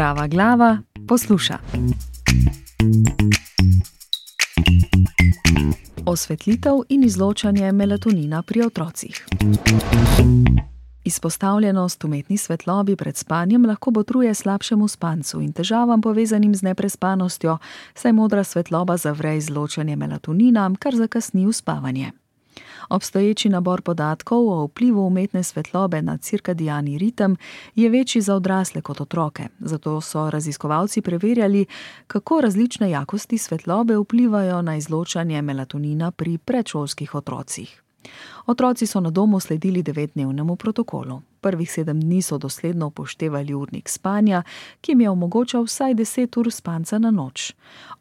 Zdrava glava posluša. Osvetlitev in izločanje melatonina pri otrocih. Izpostavljenost umetni svetlobi pred spanjem lahko botruje slabšemu spancu in težavam povezanim z neprespanostjo, saj modra svetloba zavre izločanje melatonina, kar zakasni uspavanje. Obstoječi nabor podatkov o vplivu umetne svetlobe na cirkadiani ritem je večji za odrasle kot otroke, zato so raziskovalci preverjali, kako različne jakosti svetlobe vplivajo na izločanje melatonina pri predšolskih otrocih. Otroci so na domu sledili 9-dnevnemu protokolu. Prvih 7 dni so dosledno upoštevali urnik spanja, ki jim je omogočal vsaj 10 ur spanca na noč.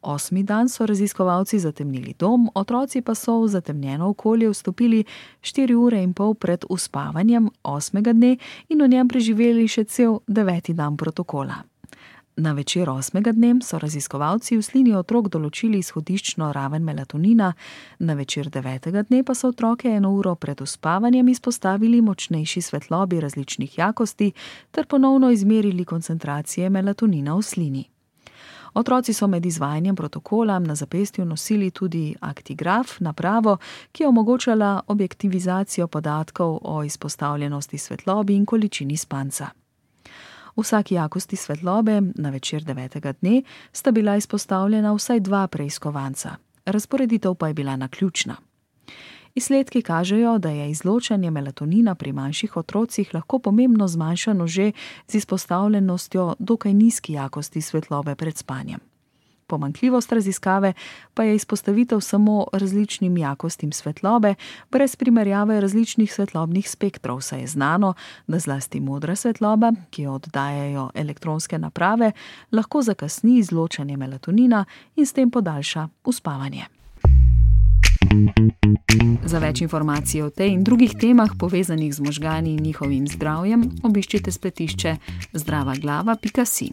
8. dan so raziskovalci zatemnili dom, otroci pa so v zatemnjeno okolje vstopili 4 ure in pol pred uspavanjem 8. dne in v njem preživeli še cel 9. dan protokola. Na večer 8. dne so raziskovalci v slini otrok določili izhodiščno raven melatonina, na večer 9. dne pa so otroke 1 uro pred uspavanjem izpostavili močnejši svetlobi različnih jakosti ter ponovno izmerili koncentracije melatonina v slini. Otroci so med izvajanjem protokola na zapestju nosili tudi aktigraf, napravo, ki je omogočala objektivizacijo podatkov o izpostavljenosti svetlobi in količini spanca. V vsaki jakosti svetlobe na večer 9. dne sta bila izpostavljena vsaj 2 preiskovanca. Razporeditev pa je bila naključna. Izsledki kažejo, da je izločanje melatonina pri manjših otrocih lahko pomembno zmanjšano že z izpostavljenostjo dokaj nizki jakosti svetlobe pred spanjem. Pomanjkljivost raziskave pa je izpostavitev samo različnim jakostim svetlobe, brez primerjave različnih svetlobnih spektrov, saj je znano, da zlasti modra svetloba, ki jo oddajajo elektronske naprave, lahko zakasni izločanje melatonina in s tem podaljša uspavanje. Za več informacij o tej in drugih temah povezanih z možgani in njihovim zdravjem, obiščite spletišče zdravaglava.si.